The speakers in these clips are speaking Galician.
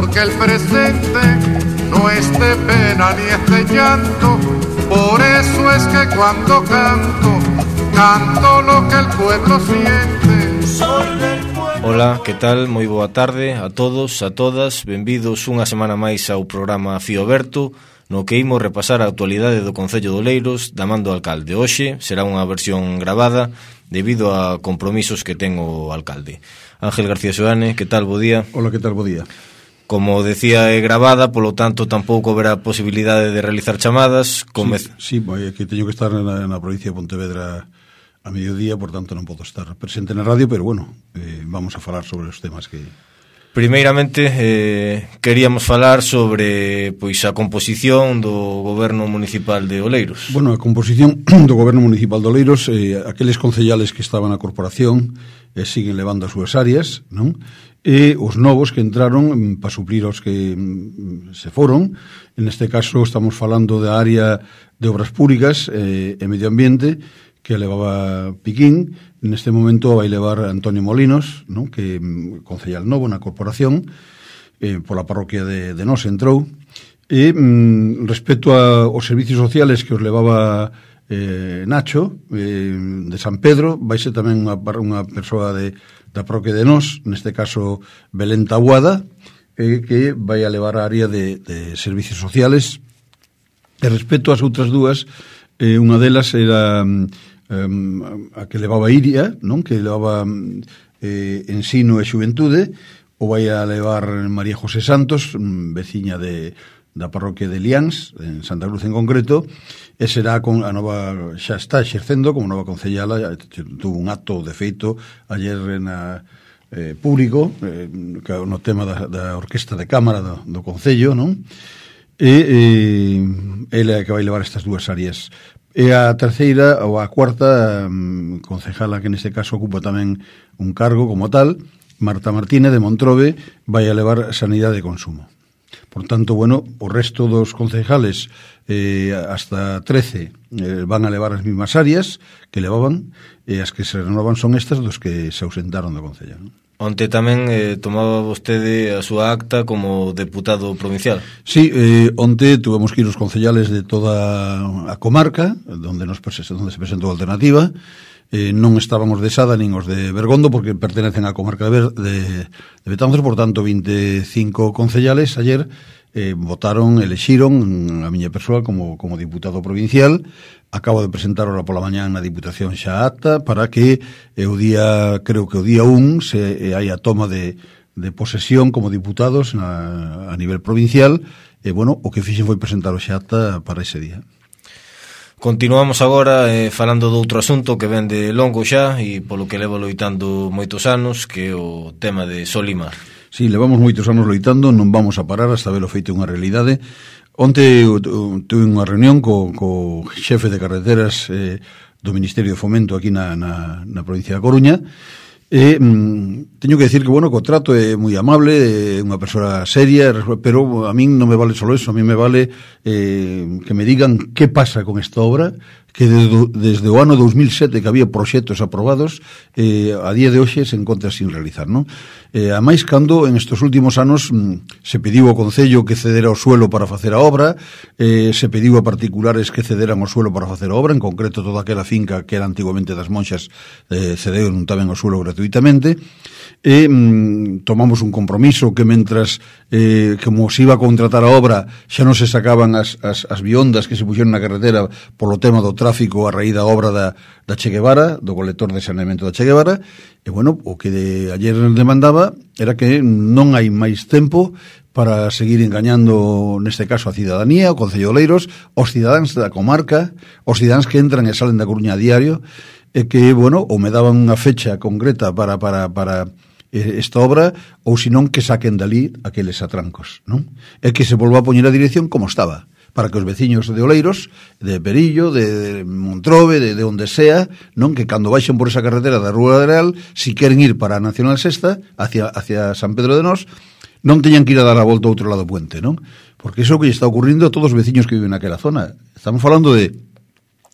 porque el presente no es de pena ni es de llanto. Por eso es que cuando canto, canto lo que el pueblo siente. Soy del pueblo. Ola, que tal? Moi boa tarde a todos, a todas. Benvidos unha semana máis ao programa Fío Aberto, no que imos repasar a actualidade do Concello de Oleiros da man do alcalde. Hoxe será unha versión gravada debido a compromisos que ten o alcalde. Ángel García Xoane, que tal? Bo día. Hola, que tal? Bo día. Como decía, é gravada, polo tanto tampouco haberá posibilidade de realizar chamadas. Sí, que teño que estar na provincia de Pontevedra a mediodía, por tanto non podo estar presente na radio, pero bueno, vamos a falar sobre os temas que... Primeiramente, queríamos falar sobre a composición do Goberno Municipal de Oleiros. Bueno, a composición do Goberno Municipal de Oleiros, aqueles concellales que estaban na corporación siguen levando as súas áreas, non? E os novos que entraron para suplir os que se foron. En este caso estamos falando da área de obras públicas e medio ambiente, que levaba Piquín. En este momento vai levar Antonio Molinos, non? Que concellal novo na corporación, pola parroquia de Nos entrou. E respecto aos servicios sociales que os levaba Nacho, de San Pedro, vai ser tamén unha persoa da parroquia de Nos, neste caso Belén Taboada, que vai a levar a área de servicios sociales. E respecto ás outras dúas, unha delas era a que levaba Iria, non? Que levaba ensino e xuventude, o vai a levar María José Santos, veciña da parroquia de Liáns, en Santa Cruz en concreto, e será con a nova, xa está exercendo como nova concellala. Tuvo un acto de feito ayer na público, no tema da orquesta de cámara do Concello, non? E ela é que vai levar estas dúas áreas. E a terceira ou a cuarta concejala, que neste caso ocupa tamén un cargo como tal, Marta Martínez de Montrobe, vai a levar sanidade e consumo. Por tanto, bueno, o resto dos concejales hasta 13 van a levar as mismas áreas que levaban, e as que se renovan son estas dos que se ausentaron do Concello, non? Onte tamén tomaba vostede a súa acta como deputado provincial. Sí, onte tuvemos que ir os concellales de toda a comarca onde se presentou a alternativa. Non estaban os de Sada nin os de Bergondo, porque pertenecen á comarca de Betanzos. Por tanto, 25 concellales ayer votaron, elexiron a miña persoa como diputado provincial. Acabo de presentar ahora pola mañán na Diputación xa acta para que creo que o día 1 hai a toma de posesión como diputados a nivel provincial. E bueno, o que fixen foi presentar o xa acta para ese día. Continuamos agora falando de outro asunto que ven de longo xa e polo que levo loitando moitos anos, que é o tema de Solimar. Sí, levamos moitos anos loitando, non vamos a parar hasta velo feito unha realidade. Onte tuve unha reunión co xefe de carreteras do Ministerio de Fomento aquí na provincia da Coruña. Teño que decir que, bueno, o trato é moi amable, é unha persoa seria, pero a min non me vale só eso. A min me vale que me digan que pasa con esta obra, que desde o ano 2007 que había proxectos aprobados, a día de hoxe se encontra sin realizar, non? A máis cando en estes últimos anos se pediu ao Concello que cedera o suelo para facer a obra, se pediu a particulares que cederan o suelo para facer a obra, en concreto toda aquela finca que era antiguamente das Monxas cedeu tamén o suelo gratuitamente. E tomamos un compromiso que mentras como se iba a contratar a obra xa non se sacaban as biondas que se puxeron na carretera polo tema do tráfico a raíz da obra da Che Guevara, do colector de saneamento da Che Guevara. E bueno, o que ayer demandaba era que non hai máis tempo para seguir engañando, neste caso, a cidadanía, o Concello de Oleiros, os cidadáns da comarca, os cidadáns que entran e salen da Coruña a diario, e que, bueno, ou me daban unha fecha concreta para esta obra, ou senón que saquen dali aqueles atrancos, non? E que se volva a poñer a dirección como estaba, para que os veciños de Oleiros, de Perillo, de Montrobe, de onde sea, non, que cando baixen por esa carretera da Rúa Real, si queren ir para a Nacional Sexta, hacia San Pedro de Nos, non teñan que ir a dar a volta ao outro lado do puente, non? Porque iso que lle está ocurrindo a todos os veciños que viven naquela zona. Estamos falando de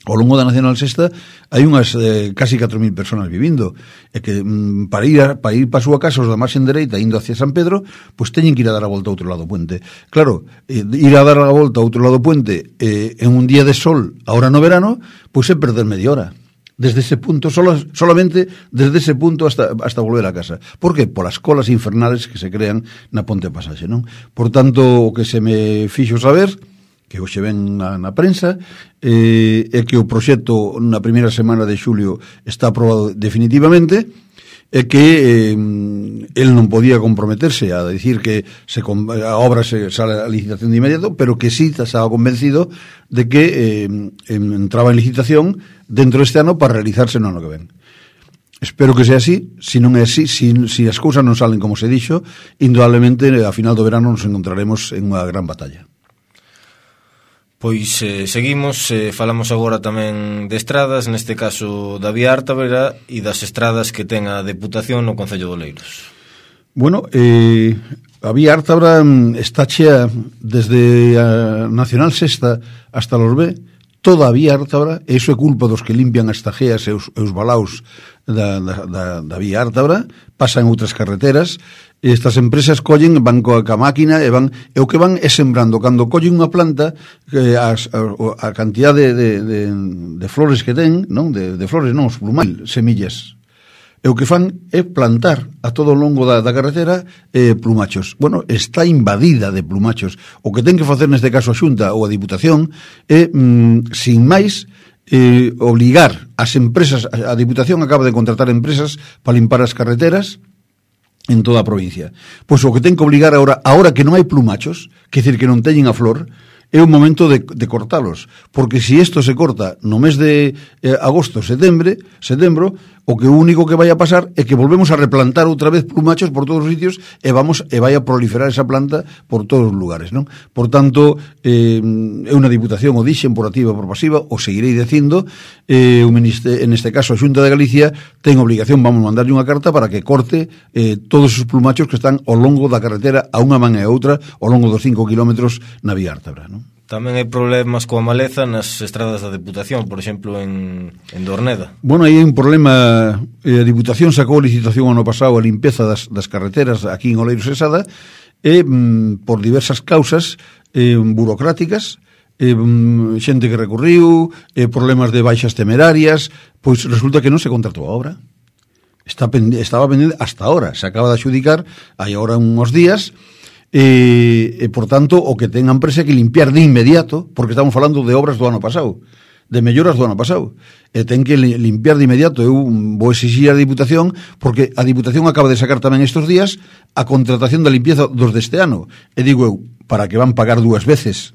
Ao longo da Nacional Sexta hai unhas casi 4.000 personas vivindo, e que para ir para a súa casa os da marxen dereita indo hacia San Pedro, pois teñen que ir a dar a volta ao outro lado do puente. Claro, ir a dar a volta ao outro lado do puente en un día de sol, ahora no verano, pois é perder media hora. Desde ese punto, solamente desde ese punto hasta volver a casa. Por que? Por as colas infernales que se crean na Ponte Pasaxe, non? Por tanto, o que se me fixo saber, que hoxe ven na prensa, é que o proxecto na primeira semana de xulio está aprobado definitivamente, é que el non podía comprometerse a decir que a obra se sale a licitación de inmediato, pero que sí estaba convencido de que entraba en licitación dentro deste ano para realizarse no ano que ven. Espero que sea así. Se non é así, se as cousas non salen como se dixo, indudablemente a final do verano nos encontraremos en unha gran batalla. Pois seguimos, falamos agora tamén de estradas, neste caso da Vía Ártabra e das estradas que ten a Deputación no Concello de Oleiros. Bueno, a Vía Ártabra está chea desde a Nacional Sexta hasta los B, toda a Vía Ártabra, e iso é culpa dos que limpian as tajeas e os balaos da Vía Ártabra, pasan outras carreteras. Estas empresas collen, van coa máquina e o que van é sembrando. Cando collen unha planta, a cantidad de flores que ten, non, de flores non, os plumais, semillas. E o que fan é plantar a todo o longo da carretera plumachos. Bueno, está invadida de plumachos. O que ten que facer neste caso a Xunta ou a Diputación é, sin máis, obligar as empresas. A Diputación acaba de contratar empresas para limpar as carreteras en toda a provincia. Pois o que ten que obligar ahora que non hai plumachos, que decir que non teñen a flor, é o momento de cortalos, porque se isto se corta no mes de agosto, setembro, o que único que vai a pasar é que volvemos a replantar outra vez plumachos por todos os sitios e vai a proliferar esa planta por todos os lugares, non? Por tanto, é unha Diputación, o dixen por activa e por pasiva, o seguirei dicindo, en este caso a Xunta de Galicia ten obligación, vamos a mandarlle unha carta para que corte todos os plumachos que están ao longo da carretera a unha man e a outra ao longo dos 5 kilómetros na Vía Ártabra, non? Tamén hai problemas coa maleza nas estradas da Deputación, por exemplo, en Dorneda. Bueno, aí hai un problema. A Diputación sacou licitación ano pasado a limpeza das carreteras aquí en Oleiros e Sada, e por diversas causas burocráticas, xente que recurriu, problemas de baixas temerarias, pois resulta que non se contratou a obra. Estaba pendente hasta ahora, se acaba de adxudicar hai agora uns días. E por tanto o que ten a empresa que limpiar de inmediato, porque estamos falando de obras do ano pasado, de melloras do ano pasado, e ten que limpiar de inmediato. Eu vou exigir a Diputación, porque a Diputación acaba de sacar tamén estes días a contratación da limpieza dos deste ano, e digo eu, para que van pagar dúas veces,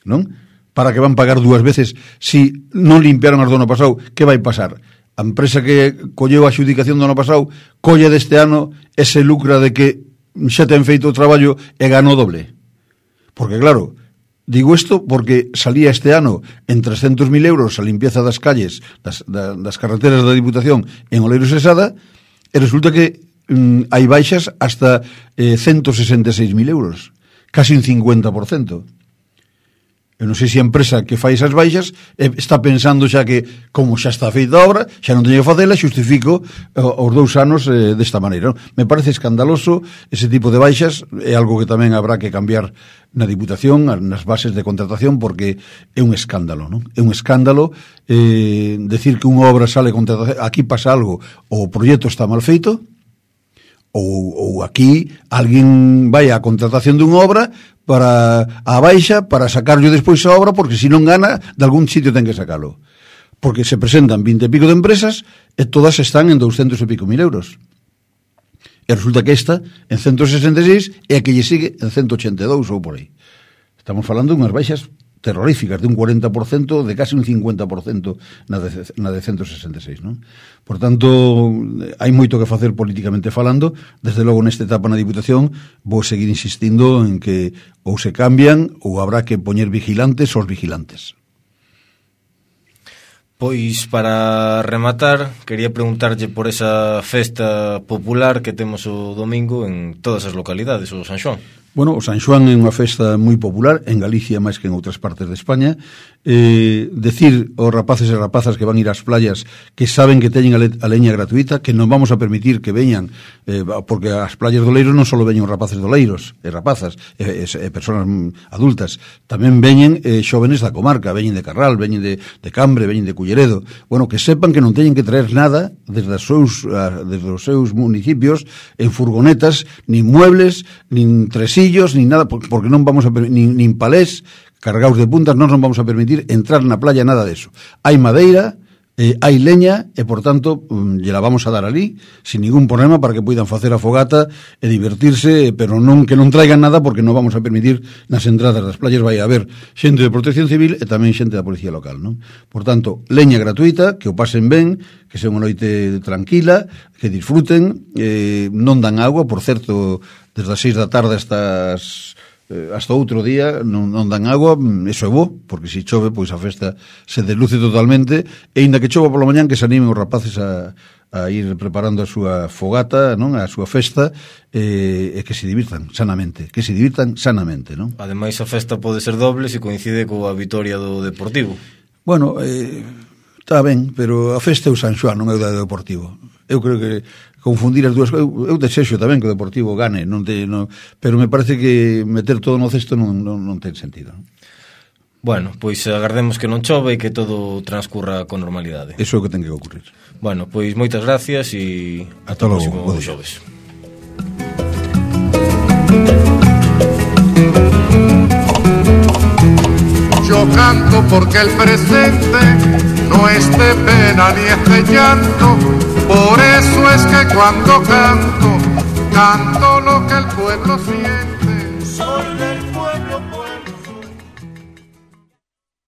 non? Para que van pagar dúas veces, si non limpiaron as do ano pasado, que vai pasar? A empresa que colleu a adxudicación do ano pasado colle deste ano e se lucra de que xa ten feito o traballo e ganou doble. Porque claro, digo isto porque salía este ano en 300.000 euros a limpieza das calles, das carreteras da Diputación en Oleiros e Sada, e resulta que hai baixas hasta 166.000 euros, casi un 50%. Eu non sei se a empresa que fai esas baixas está pensando xa que, como xa está feita a obra, xa non teño que facela, xustifico os 2 anos desta maneira. Me parece escandaloso ese tipo de baixas, é algo que tamén habrá que cambiar na Diputación, nas bases de contratación, porque é un escándalo, non? É un escándalo decir que unha obra sale contratación, aquí pasa algo, o proxecto está mal feito, ou aquí alguén vai á contratación dunha obra para a baixa, para sacarlo despois a obra, porque se non gana, de algún sitio ten que sacalo. Porque se presentan 20 e pico de empresas e todas están en 200 e pico mil euros. E resulta que esta en 166 e a que lle sigue en 182 ou por aí. Estamos falando de unhas baixas terroríficas, de un 40%, de casi un 50% na de 166, non? Por tanto, hai moito que facer políticamente falando. Desde logo, nesta etapa na Diputación, vou seguir insistindo en que ou se cambian ou habrá que poñer vigilantes aos vigilantes. Pois, para rematar, quería preguntarlle por esa festa popular que temos o domingo en todas as localidades, o San Xoán. Bueno, o San Xoán é unha festa moi popular en Galicia máis que en outras partes de España. Decir aos rapaces e rapazas que van ir ás playas que saben que teñen a leña gratuita, que non vamos a permitir que veñan, porque as playas do Leiro non só veñen os rapaces do Leiros e rapazas e persoas adultas, tamén veñen xóvenes da comarca, veñen de Carral, veñen de Cambre, veñen de Culleredo. Bueno, que sepan que non teñen que traer nada desde os seus municipios en furgonetas, nin muebles, nin tresillos, nin nada, porque non vamos a nin palés cargados de puntas, non nos vamos a permitir entrar na playa, nada de eso. Hai madeira, hai leña e, por tanto, lle la vamos a dar ali sin ningún problema para que poidan facer a fogata e divertirse, pero non que non traigan nada, porque non vamos a permitir nas entradas das playas vai haber xente de Protección Civil e tamén xente da Policía Local, non? Por tanto, leña gratuita, que o pasen ben, que sea unha noite tranquila, que disfruten, non dan agua, por certo, desde as 6 da tarde hasta outro día non dan agua, eso é bo, porque se chove, pois a festa se desluce totalmente, e ainda que chova pola mañán, que se animen os rapaces a ir preparando a súa fogata, non, a súa festa, e que se divirtan sanamente, non? Ademais, a festa pode ser doble se coincide coa vitoria do Deportivo. Bueno, está ben, pero a festa é o San Xoán, non é o do Deportivo. Eu creo que confundir as dúas cousas, eu desexo tamén que o Deportivo gane, pero me parece que meter todo no cesto non ten sentido, non? Bueno, pois agardemos que non chove e que todo transcurra con normalidade. Eso é o que ten que ocurrir. Bueno, pois moitas gracias e ata o próximo xoves. Yo canto porque el presente no es de pena ni es de llanto. Por eso es que cuando canto, canto lo que el pueblo siente.